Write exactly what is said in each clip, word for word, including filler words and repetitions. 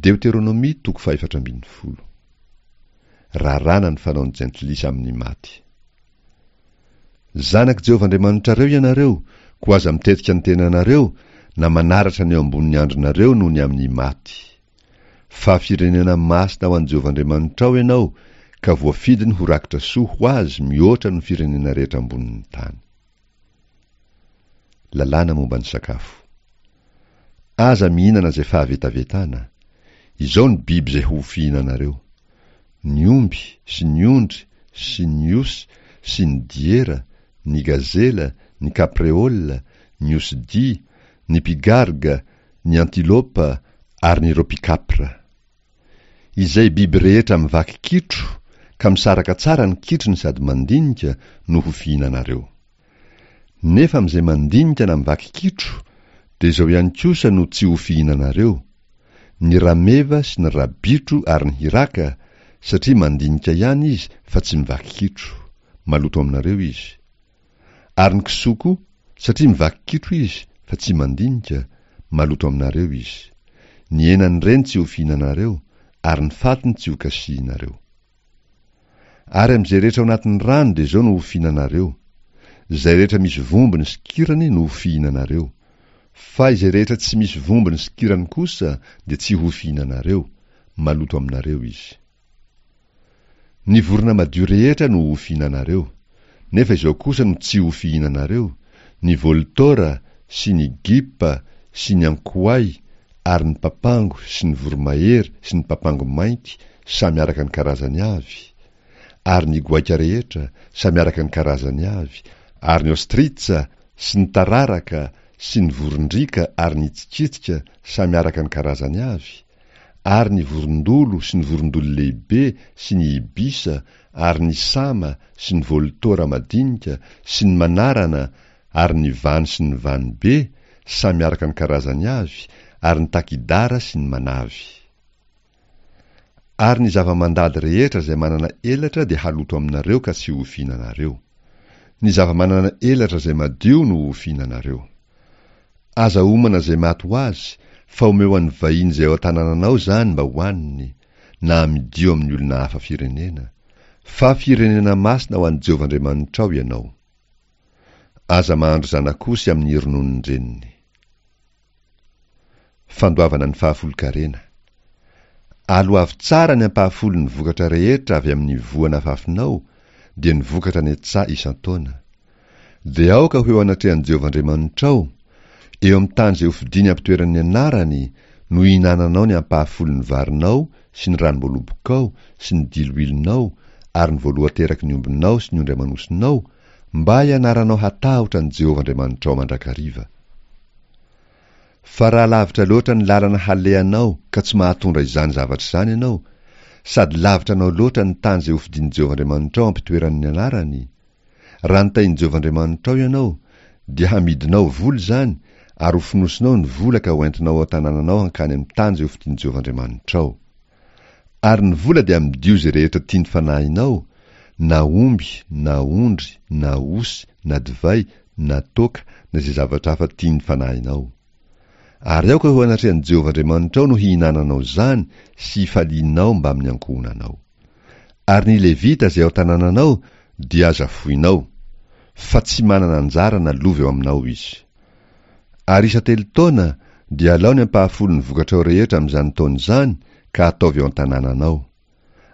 Deoteronomia toko fahefatra ambin'ny folo. Raràna ny fanaon'ny jentilisa amin'ny maty. Zanak'i Jehovah Andriamanitrareo ianareo, koa aza mitetika ny tenanareo na manaratra ny eo ambonin'ny andronareo noho ny amin'ny maty. Fa firenena masina ho an'i Jehovah Andriamanitrao ianao, ka voafidiny ho rakitra soa ho azy mihoatra noho ny firenena rehetra ambonin'ny tany. Lalàna momba ny sakafo. Aza mihinana izay fahavetavetana. Izao ny biby izay ho fihinanareo: ny omby sy ny ondry sy ny osy sy ny diera, ny gazela, ny kapreola, ny osidia, ny pigarga, ny antilopa ary ny ropikapra. Izay biby rehetra mivaky kitro ka misaraka tsara ny kitrony sady mandinika no ho fihinanareo. Nefa amin'izay mandinika na mivaky kitro dia izao ihany kosa no tsy ho fihinanareo: ny rameva sy ny rabitro ary ny hiraka, satria mandinika ihany izy fa tsy mivaky kitro, maloto aminareo izy. Ary ny kisoa koa, satria mivaky kitro izy fa tsy mandinika, maloto aminareo izy. Ny henan'ireny tsy ho fihinanareo, ary ny fatiny tsy ho kasihinareo. Ary amin'izay rehetra ao anatin'ny rano dia izao no ho fihinanareo: izay rehetra misy vombony sy kirany no ho fihinanareo. Fa izay rehetra tsy misy vombony sy kirany kosa dia tsy ho fihinanareo, maloto aminareo izy. Ny vorona madio rehetra no ho fihinanareo, nefa izao kosa no tsy ho fihinanareo: ny voltora sy ny gipa sy ny ankoay ary ny papango sy ny voromahery sy ny papango mainty samy araka ny karazany avy, ary ny goaika rehetra samy araka ny karazany avy, ary ny ostritsa sy ny tararaka sy ny vorondriaka ary ny tsikitsika samy araka ny karazany avy, ary ny vorondolo sy ny vorondolo lehibe sy ny ibisa ary ny sama sy ny voltora madinika sy ny manarana ary ny vano sy ny vano be samy araka ny karazany avy, ary ny takidara sy ny manavy. Ary ny zava-mandady rehetra izay manana elatra dia haloto aminareo ka tsy ho fihinanareo. Ny zava-manana elatra izay madio no ho fihinanareo. Aza homana izay maty ho azy, fa omeo an'ny vahiny izay ao an-tanànanao izany mba hohaniny, na amidio amin'ny olona hafa firenena. Fa firenena masina ho an'i Jehovah Andriamanitrao ianao. Aza mahandro zanak'osy amin'ny rononon-dreniny. Fandoavana ny fahafolon-karena. Aloavy tsara ny ampahafolon'ny vokatra rehetra avy amin'ny voa nafafinao, dia ny vokatra any an-tsaha isan-taona. Dia aoka ho eo anatrehan'i Jehovah Andriamanitrao, eo amin'ny tany izay hofidiny hampitoerany ny anarany, no hihinananao ny ampahafolon'ny varinao sy ny ranom-boalobokao sy ny diloilonao ary ny voalohan-teraky ny ombinao sy ny ondry aman'osinao, mba hianaranao hatahotra an'i Jehovah Andriamanitrao mandrakariva. Fa raha lavitra loatra ny lalana halehanao ka tsy mahatondra izany zavatra izany ianao, sady lavitra anao loatra ny tany izay hofidin'i Jehovah Andriamanitrao hampitoerany ny anarany, raha notahin'i Jehovah Andriamanitrao ianao, dia hamidinao vola izany ary hofonosinao ny vola ka hoentinao ao an-tanànanao hankany amin'ny tany izay hofidin'i Jehovah Andriamanitrao. Ary ny vola dia amidio izay rehetra tian'ny fanahinao, na omby, na ondry, na osy, na divay, na toaka, na izay zavatra hafa tian'ny fanahinao. Ary aoka ho anatrehan'i Jehovah Andriamanitrao no hihinananao izany sy hifalianao mbamin'ny ankohonanao. Ary ny Levita izay ao an-tanànanao dia aza foinao, fa tsy manana anjara na lova eo aminao izy. Ary isan-telo taona dia alao ny ampahafolon'ny vokatrao rehetra amin'izany taona izany ka ataovy eo an-tanànanao.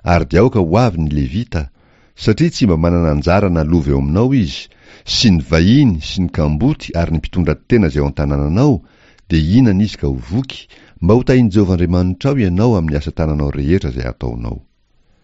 Ary dia aoka ho avy ny Levita, satria tsy mba manana anjara na lova eo aminao izy, sy ny vahiny sy ny kamboty ary ny mpitondra tena izay ao an-tanànanao, dia hihinana izy ka ho voky, mba ho tahin'i Jehovah Andriamanitrao ianao amin'ny asa tananao rehetra izay ataonao.